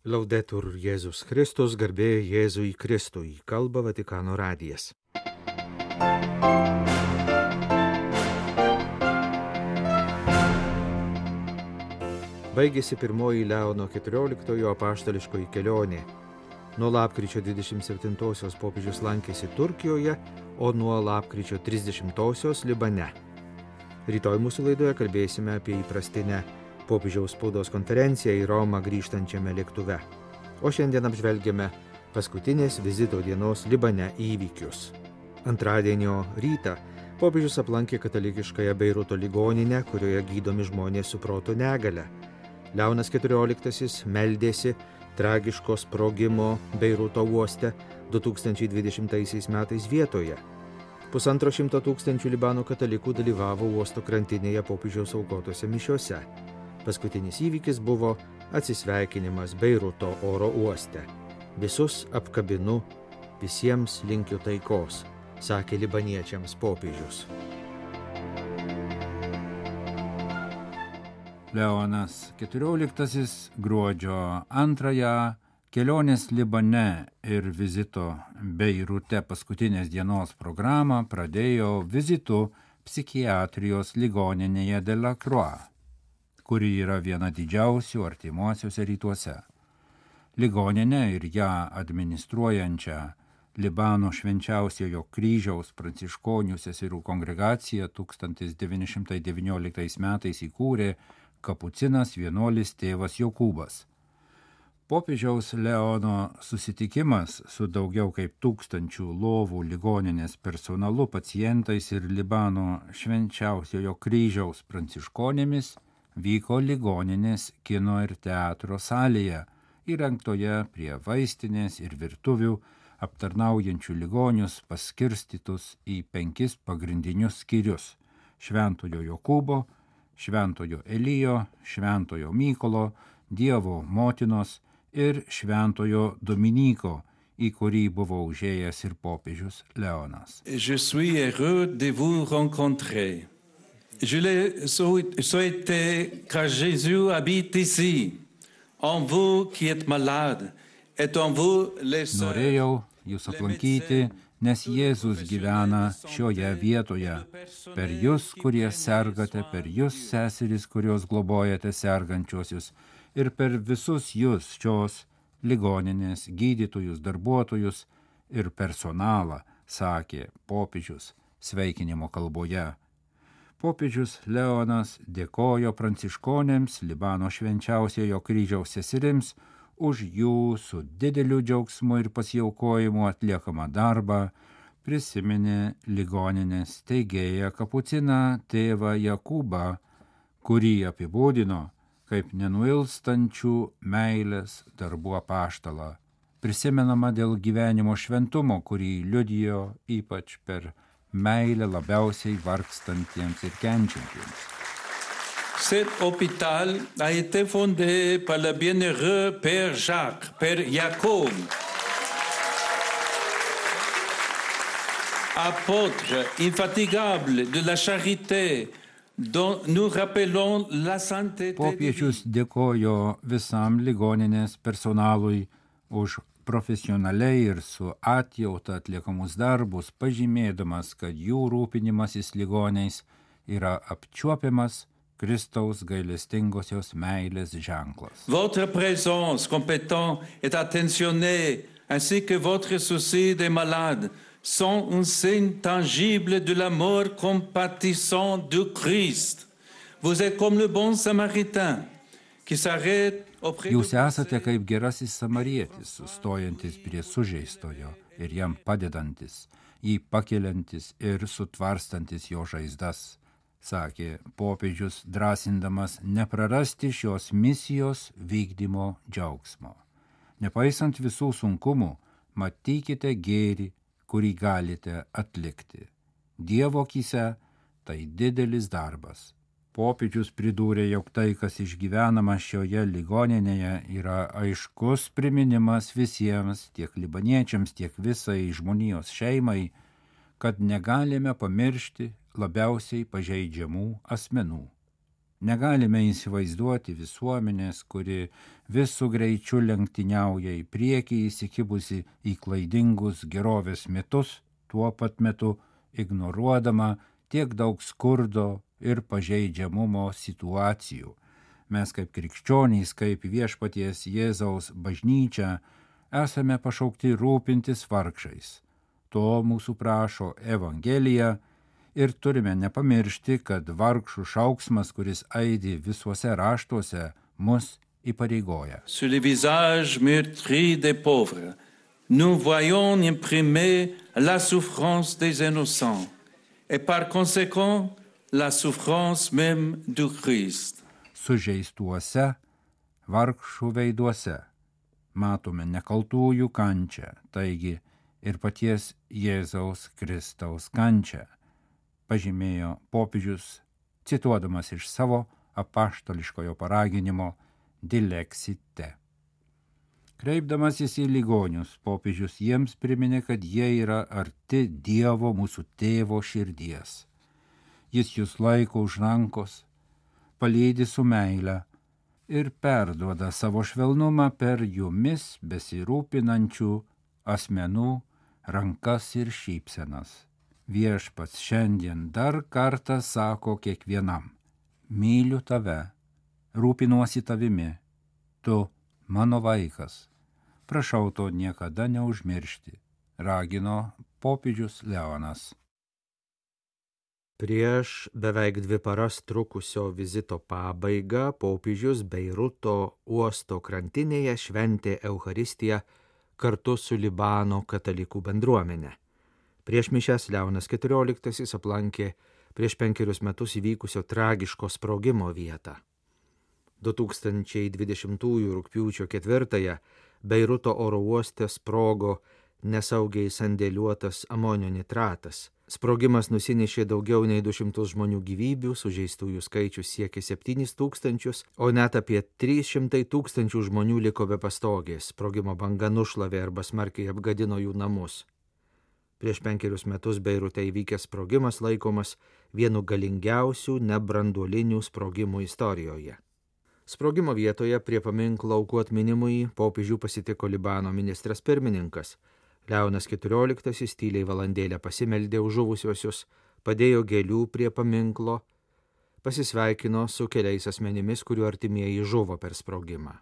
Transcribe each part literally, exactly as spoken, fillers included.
Laudetur Jėzus Kristus, garbė Jėzui Kristui, kalba Vatikano radijas. Baigėsi pirmoji Leono keturioliktojo apaštališkoji kelionė. Nuo lapkričio dvidešimt septintosios popiežius lankėsi Turkijoje, o nuo lapkričio trisdešimtosios Libane. Rytoj mūsų laidoje kalbėsime apie įprastinę popiežiaus spaudos konferenciją į Romą grįžtančiame lėktuve. O šiandien apžvelgiame paskutinės vizito dienos Libane įvykius. Antradienio rytą popiežius aplankė katalikiškąją Beiruto ligoninę, kurioje gydomi žmonės su proto negalia. Leonas keturioliktasis meldėsi tragiško sprogimo Beiruto uoste du tūkstančiai dvidešimtaisiais metais vietoje. Pusantro šimto tūkstančių Libano katalikų dalyvavo uosto krantinėje popiežiaus aukotose mišiose. Paskutinis įvykis buvo atsisveikinimas Beiruto oro uoste. Visus apkabinu, visiems linkiu taikos, sakė libaniečiams popiežius. Leonas keturioliktasis gruodžio antrąją kelionės Libane ir vizito Beirute paskutinės dienos programą pradėjo vizitu psichiatrijos ligoninėje de la Croix, kuri yra viena didžiausių artimuosiuose rytuose. Ligoninė ir ją administruojančią Libano švenčiausiojo kryžiaus pranciškonių seserų kongregacija tūkstantis devyni šimtai devynioliktais metais įkūrė kapucinas vienuolis tėvas Jokūbas. Popiežiaus Leono susitikimas su daugiau kaip tūkstančių lovų ligoninės personalu, pacientais ir Libano švenčiausiojo kryžiaus pranciškonėmis vyko ligoninės kino ir teatro salėje, įrengtoje prie vaistinės ir virtuvių, aptarnaujančių ligonius paskirstytus į penkis pagrindinius skyrius – Šventojo Jokūbo, Šventojo Elijo, Šventojo Mykolo, Dievo motinos ir Šventojo Dominyko, į kurį buvo užėjęs ir popiežius Leonas. Je suis heureux de vous rencontrer. Je l'ai souhaité car Jésus habite ici, en vous qui êtes malade, et en vous les sœurs. Norėjau jūs aplankyti, nes Jėzus gyvena šioje vietoje, per jūs, kurie sergate, per jūs, seserys, kurios globojate sergančiosius, ir per visus jūs šios ligoninės gydytojus, darbuotojus ir personalą, sakė popiežius sveikinimo kalboje. Popiežius Leonas dėkojo pranciškonėms, Libano švenčiausiojo kryžiaus seserims už jų su dideliu džiaugsmu ir pasiaukojimu atliekamą darbą, prisiminė ligoninės steigėją kapuciną tėvą Jokūbą, kurį apibūdino kaip nenuilstančių meilės darbų apaštalą, prisimenama dėl gyvenimo šventumo, kurį liudijo ypač per meilę labiausiai vargstantiems ir kenčiantiems. Cet hôpital a été fondé par le bienheureux Père Jacques, Père Jacob, apôtre infatigable de la charité, dont nous rappelons la sainteté. Popiežius dėkojo visam ligoninės personalui už profesionaliai ir su atjauta atliekamus darbus, pažymėdamas, kad jų rūpinimasis ligoniais yra apčiuopiamas Kristaus gailestingosios meilės ženklas. Votre présence compétente et attentionnée, ainsi que votre souci des malades, sont un signe tangible de l'amour compatissant du Christ. Vous êtes comme le bon samaritain qui s'arrête auprès de... Jūs esate kaip gerasis samarietis, sustojantis prie sužeistojo ir jam padedantis, jį pakeliantis ir sutvarstantis jo žaizdas, sakė popiežius, drąsindamas neprarasti šios misijos vykdymo džiaugsmo. Nepaisant visų sunkumų, matykite gėrį, kurį galite atlikti. Dievo akyse tai didelis darbas. Popiežius pridūrė, jog tai, kas išgyvenama šioje ligoninėje, yra aiškus priminimas visiems, tiek libaniečiams, tiek visai žmonijos šeimai, kad negalime pamiršti labiausiai pažeidžiamų asmenų. Negalime įsivaizduoti visuomenės, kuri visų greičių lenktyniauja į priekį įsikibusi į klaidingus gerovės mitus, tuo pat metu ignoruodama tiek daug skurdo ir pažeidžiamumo situacijų. Mes kaip krikščionys, kaip viešpaties Jėzaus bažnyčia, esame pašaukti rūpintis vargšais. To mūsų prašo Evangelija ir turime nepamiršti, kad vargšų šauksmas, kuris aidi visuose raštuose, mus įpareigoja. Sur les visages meurtris des pauvres, nous voyons imprimer la souffrance des innocents et par conséquent la souffrance même du Christ. Sužeistuose, vargšų veiduose matome nekaltųjų kančią, taigi ir paties Jėzaus Kristaus kančią, pažymėjo popiežius, cituodamas iš savo apaštališkojo paraginimo Dilexite. Kreipdamasis į ligonius, popiežius jiems priminė, kad jie yra arti Dievo mūsų tėvo širdies. Jis jūs laiko už rankos, palydi su meile ir perduoda savo švelnumą per jumis besirūpinančių asmenų rankas ir šypsenas. Viešpats šiandien dar kartą sako kiekvienam: myliu tave, rūpinuosi tavimi, tu mano vaikas. Prašau to niekada neužmiršti, ragino popiežius Leonas. Prieš beveik dvi paras trukusio vizito pabaigą popiežius Beiruto uosto krantinėje šventė Eucharistiją kartu su Libano katalikų bendruomenė. Prieš mišias Leonas keturioliktasis aplankė prieš penkerius metus įvykusio tragiško sprogimo vietą. du tūkstančiai dvidešimtųjų rugpjūčio ketvirtąją Beiruto oro uoste sprogo nesaugiai sandėliuotas amonio nitratas. Sprogimas nusinešė daugiau nei du šimtus žmonių gyvybių, sužeistųjų skaičius siekė septynis tūkstančius, o net apie trys šimtai tūkstančių žmonių liko be pastogės. Sprogimo banga nušlavė arba smarkiai apgadino jų namus. Prieš penkerius metus Beirute įvykęs sprogimas laikomas vienu galingiausių nebranduolinių sprogimų istorijoje. Sprogimo vietoje prie paminklo aukų atminimui popiežių pasitiko Libano ministras pirmininkas. Leonas keturioliktasis tyliai valandėlę pasimeldė už žuvusiuosius, padėjo gėlių prie paminklo, pasisveikino su keliais asmenimis, kurių artimieji žuvo per sprogimą.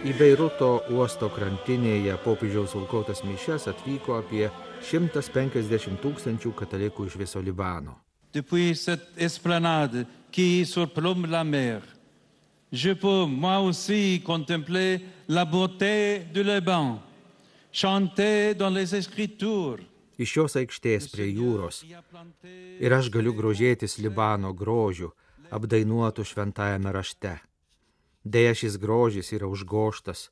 Į Beiruto uosto krantinėje popiežiaus aukotas mišias atvyko apie šimtas penkiasdešimt tūkstančių katalikų iš viso Libano. Depuis cette esplanade qui surplombe la mer, je peux moi aussi contempler la beauté du Liban, chanter dans les Écritures. Iš šios aikštės prie jūros ir aš galiu grožėtis Libano grožiu, apdainuotų šventajame rašte. Deja, šis grožis yra užgoštas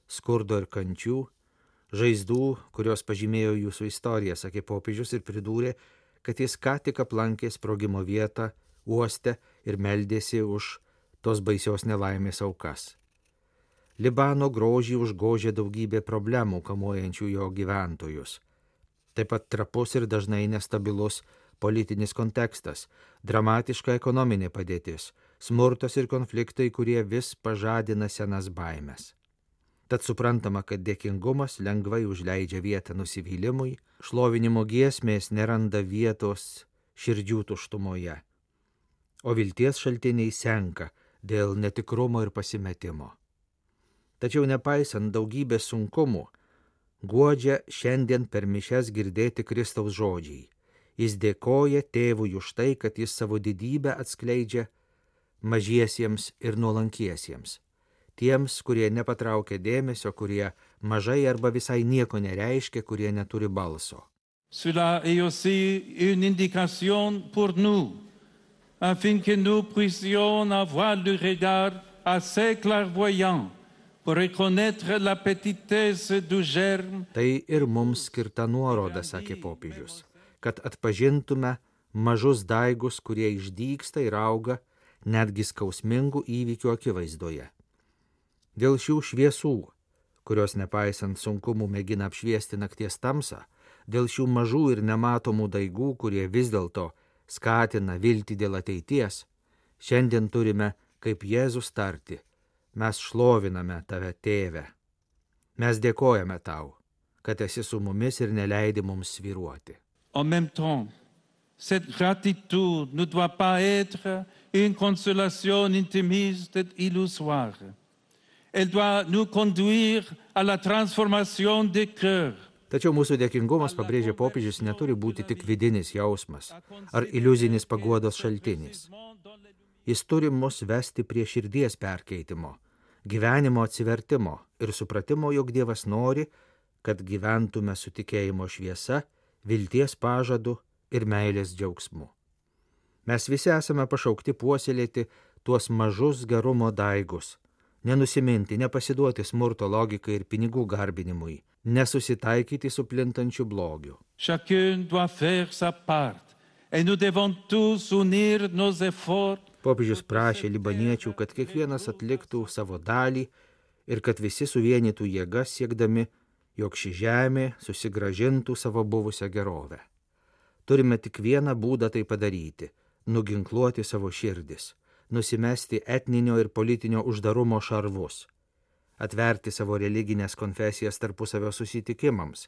skurdo ir kančių, žaizdų, kurios pažymėjo jūsų istoriją, sakė popiežius ir pridūrė, kad jis ką tik aplankė sprogimo vietą uoste ir meldėsi už tos baisios nelaimės aukas. Libano grožį užgožė daugybė problemų, kamuojančių jo gyventojus. Taip pat trapus ir dažnai nestabilus politinis kontekstas, dramatiška ekonominė padėtis, smurtas ir konfliktai, kurie vis pažadina senas baimes. Tad suprantama, kad dėkingumas lengvai užleidžia vietą nusivylimui, šlovinimo giesmės neranda vietos širdžių tuštumoje, o vilties šaltiniai senka dėl netikrumo ir pasimetimo. Tačiau nepaisant daugybės sunkumų, guodžia šiandien per mišias girdėti Kristaus žodžiai. Jis dėkoja tėvui už tai, kad jis savo didybę atskleidžia mažiesiems ir nuolankiesiems. Tiems, kurie nepatraukia dėmesio, kurie mažai arba visai nieko nereiškia, kurie neturi balso. Cela est aussi une indication pour nous, afin que nous puissions avoir le regard assez clairvoyant pour reconnaître la petitesse du germe. Tai ir mums skirta nuoroda, sakė popiežius, kad atpažintume mažus daigus, kurie išdygsta ir auga netgi skausmingų įvykių akivaizdoje. Dėl šių šviesų, kurios nepaisant sunkumų mėgina apšviesti nakties tamsą, dėl šių mažų ir nematomų daigų, kurie vis dėlto skatina viltį dėl ateities, šiandien turime, kaip Jėzus tarti, mes šloviname tave, Tėve. Mes dėkojame tau, kad esi su mumis ir neleidi mums svyruoti. En même temps, cette gratitude ne doit pas être une consolation intimiste et illusoire. Elle doit nous conduire à la transformation des cœurs. Tačiau mūsų dėkingumas, pabrėžia popiežius, neturi būti tik vidinis jausmas ar iliuzinis paguodos šaltinis. Jis turi mus vesti prie širdies perkeitimo, gyvenimo atsivertimo ir supratimo, jog Dievas nori, kad gyventume su tikėjimo šviesa, vilties pažadu ir meilės džiaugsmu. Mes visi esame pašaukti puoselėti tuos mažus gerumo daigus, nenusiminti, nepasiduoti smurto logikai ir pinigų garbinimui, nesusitaikyti su plintančiu blogiu. Chacun doit faire sa part, et nous devons tous unir nos efforts. Popiežius prašė libaniečių, kad kiekvienas atliktų savo dalį ir kad visi suvienytų jėgas siekdami, jog ši žemė susigrąžintų savo buvusią gerovę. Turime tik vieną būdą tai padaryti – nuginkluoti savo širdis, nusimesti etninio ir politinio uždarumo šarvus, atverti savo religinės konfesijas tarpusavio susitikimams,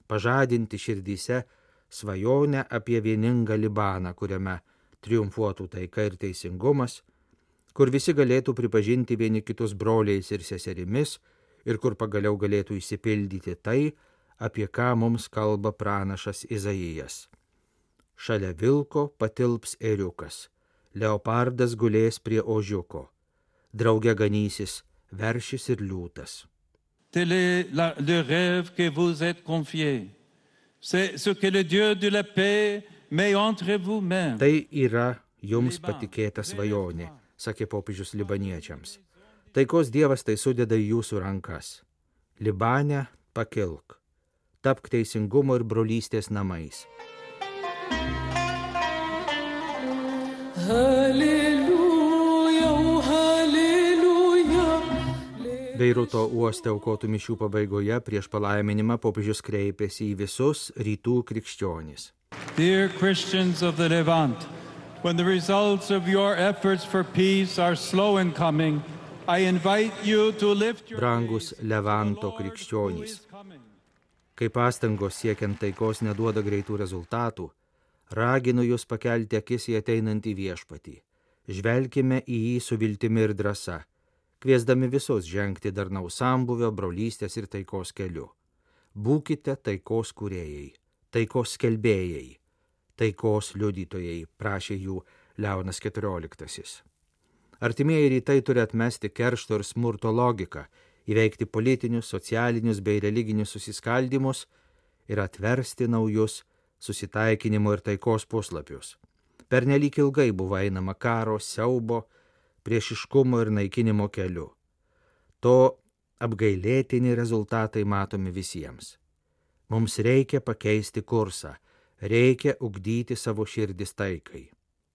pažadinti širdyse svajonę apie vieningą Libaną, kuriame triumfuotų taika ir teisingumas, kur visi galėtų pripažinti vieni kitus broliais ir seserimis ir kur pagaliau galėtų išsipildyti tai, apie ką mums kalba pranašas Izaijas. Šalia vilko patilps ėriukas, leopardas gulės prie ožiuko, drauge ganysis veršis ir liūtas. Tel est la, le rêve que vous êtes confié. C'est ce que le Dieu de la paix met entre vous-mêmes. Tai yra jums patikėta svajonė, sakė popiežius libaniečiams. Taikos Dievas tai sudeda į jūsų rankas. Libane pakilk, tapk teisingumo ir brolystės namais. Halleluja, halleluja. Beiruto uoste aukotų mišių pabaigoje prieš palaiminimą popiežius kreipėsi į visus rytų krikščionis. Dear Christians of the Levant, when the results of your efforts for peace are slow in coming, I invite you to lift your Brangus Levanto krikščionys, kai pastangos siekiant taikos neduoda greitų rezultatų, raginu jūs pakelti akis į ateinantį viešpatį. Žvelkime į jį su viltimi ir drąsa, kviesdami visus žengti darnaus sambūvio, brolystės ir taikos keliu. Būkite taikos kūrėjai, taikos skelbėjai, taikos liudytojai, prašė jų Leonas keturioliktasis. Artimieji rytai turi atmesti keršto ir smurto logiką, įveikti politinius, socialinius bei religinius susiskaldymus ir atversti naujus susitaikinimo ir taikos puslapius. Pernelyg ilgai buvo einama karo, siaubo, priešiškumo ir naikinimo keliu. To apgailėtini rezultatai matomi visiems. Mums reikia pakeisti kursą, reikia ugdyti savo širdis taikai.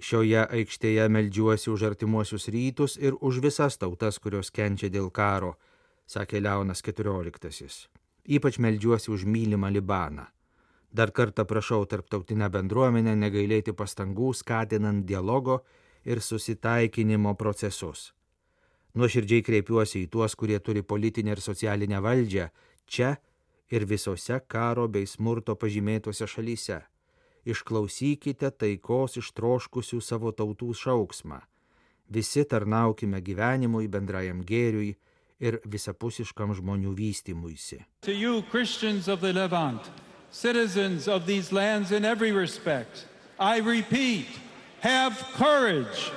Šioje aikštėje meldžiuosi už artimuosius rytus ir už visas tautas, kurios kenčia dėl karo, sakė Leonas keturioliktasis. Ypač meldžiuosi už mylimą Libaną. Dar kartą prašau tarptautinę bendruomenę negailėti pastangų skatinant dialogo ir susitaikinimo procesus. Nuoširdžiai kreipiuosi į tuos, kurie turi politinę ir socialinę valdžią, čia ir visose karo bei smurto pažymėtose šalyse. Išklausykite taikos ištroškusių savo tautų šauksmą. Visi tarnaukime gyvenimui, bendrajam gėriui ir visapusiškam žmonių vystymuisi. To you, Christians of the Levant, citizens of these lands in every respect, I repeat, have courage.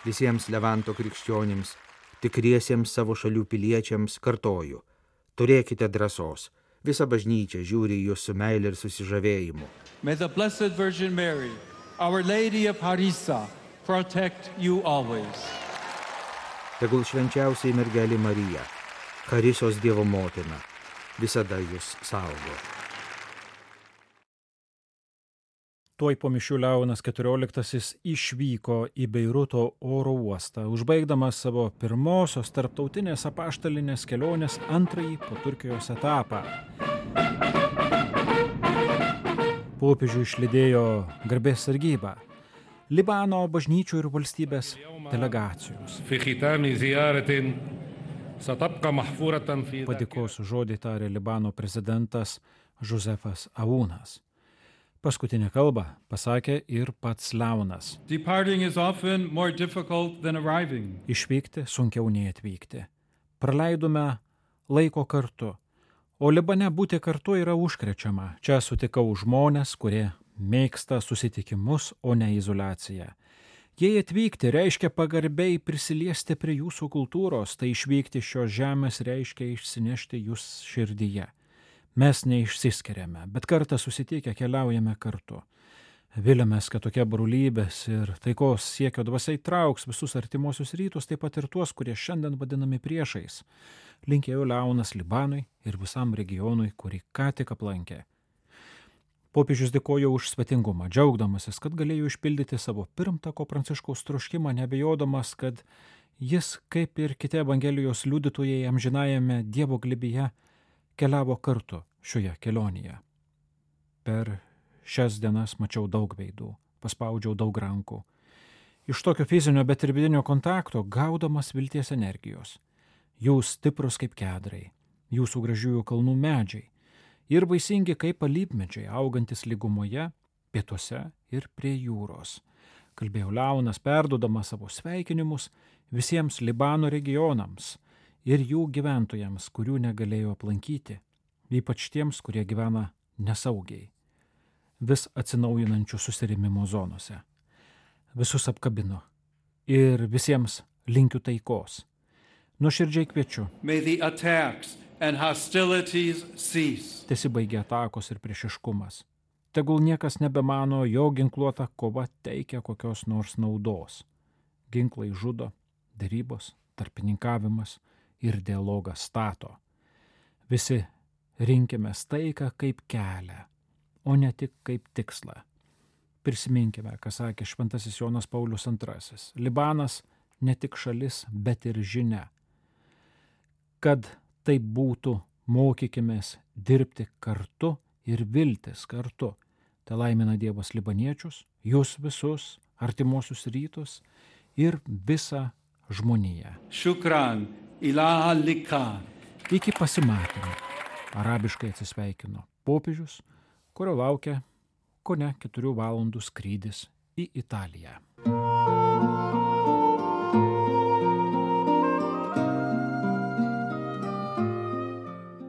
Visiems Levanto krikščionims, tikriesiems savo šalių piliečiams kartoju, turėkite drąsos. Visa bažnyčia žiūri į jūs su meile ir susižavėjimu. May the Blessed Virgin Mary, Our Lady of Harissa, protect you always. Tegul švenčiausiai mergelė Marija, Harisos Dievo motina, visada jūs saugo. Tuoj po mišių Leonas keturioliktasis išvyko į Beiruto oro uostą, užbaigdamas savo pirmosios tarptautinės apaštalinės kelionės antrąjį po Turkijos etapą. Popiežių išlydėjo garbės sargyba, Libano bažnyčių ir valstybės delegacijos. Padėkos žodį tarė Libano prezidentas Josefas Aunas. Paskutinę kalbą pasakė ir pats Leonas. Išvykti sunkiau nei atvykti. Praleidome laiko kartu, o Libane būti kartu yra užkrečiama. Čia sutikau žmonės, kurie mėgsta susitikimus, o ne izoliaciją. Jei atvykti reiškia pagarbiai prisiliesti prie jūsų kultūros, tai išvykti šios žemės reiškia išsinešti jūs širdyje. Mes neišsiskiriame, bet kartą susitikę keliaujame kartu. Viliamės, kad tokia brolybės ir taikos siekio dvasia įtrauks visus artimuosius rytus, taip pat ir tuos, kurie šiandien vadinami priešais. Linkėjo Leonas Libanui ir visam regionui, kurį ką tik aplankė. Popiežius dėkojo už svetingumą, džiaugdamasis, kad galėjo išpildyti savo pirmtako Pranciškaus troškimą, nebejodamas, kad jis, kaip ir kiti Evangelijos liudytojai amžinajame Dievo glėbyje, keliavo kartu šioje kelionėje. Per šias dienas mačiau daug veidų, paspaudžiau daug rankų. Iš tokio fizinio, bet ir vidinio kontakto gaudamas vilties energijos. Jūs stiprus kaip kedrai, jūsų gražiųjų kalnų medžiai ir vaisingi kaip alyvmedžiai, augantis lygumoje, pietuose ir prie jūros. Kalbėjo Leonas, perduodamas savo sveikinimus visiems Libano regionams ir jų gyventojams, kurių negalėjo aplankyti, ypač tiems, kurie gyvena nesaugiai, vis atsinaujinančių susirėmimo zonose. Visus apkabino ir visiems linkiu taikos. Nuoširdžiai kviečiu. Tesibaigia atakos ir priešiškumas. Tegul niekas nebemano, jo ginkluota kova teikia kokios nors naudos. Ginklai žudo, derybos, tarpininkavimas ir dialogas stato. Visi rinkime taiką kaip kelią, o ne tik kaip tikslą. Prisiminkime, ką sakė šventasis Jonas Paulius antrasis. Libanas ne tik šalis, bet ir žinia. Kad tai būtų, mokykimės dirbti kartu ir viltis kartu. Tai laimina Dievas libaniečius, jūs visus, artimuosius rytus ir visą žmoniją. Shukran. Iki pasimatymo. Arabiškai atsisveikino popiežius, kurio laukia kone keturių valandų skrydis į Italiją.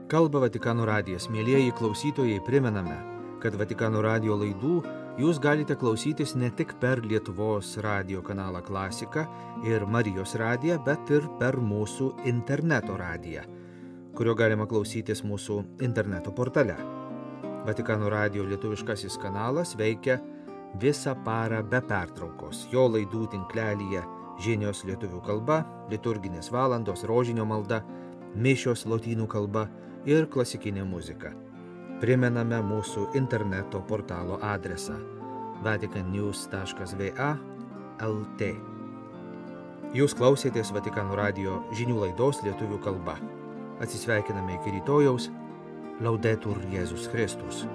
Kalba Vatikano radijas. Mielieji klausytojai, primename, kad Vatikano radijo laidų jūs galite klausytis ne tik per Lietuvos radijo kanalą Klasika ir Marijos radiją, bet ir per mūsų interneto radiją, kurio galima klausytis mūsų interneto portale. Vatikano radijo lietuviškasis kanalas veikia visą parą be pertraukos. Jo laidų tinklelyje žinios lietuvių kalba, liturginės valandos, rožinio malda, mišios lotynų kalba ir klasikinė muzika. Primename mūsų interneto portalo adresą vatican news taškas v a taškas l t. Jūs klausėtės Vatikano radijo žinių laidos lietuvių kalba. Atsisveikiname iki rytojaus. Laudetur Jėzus Kristus.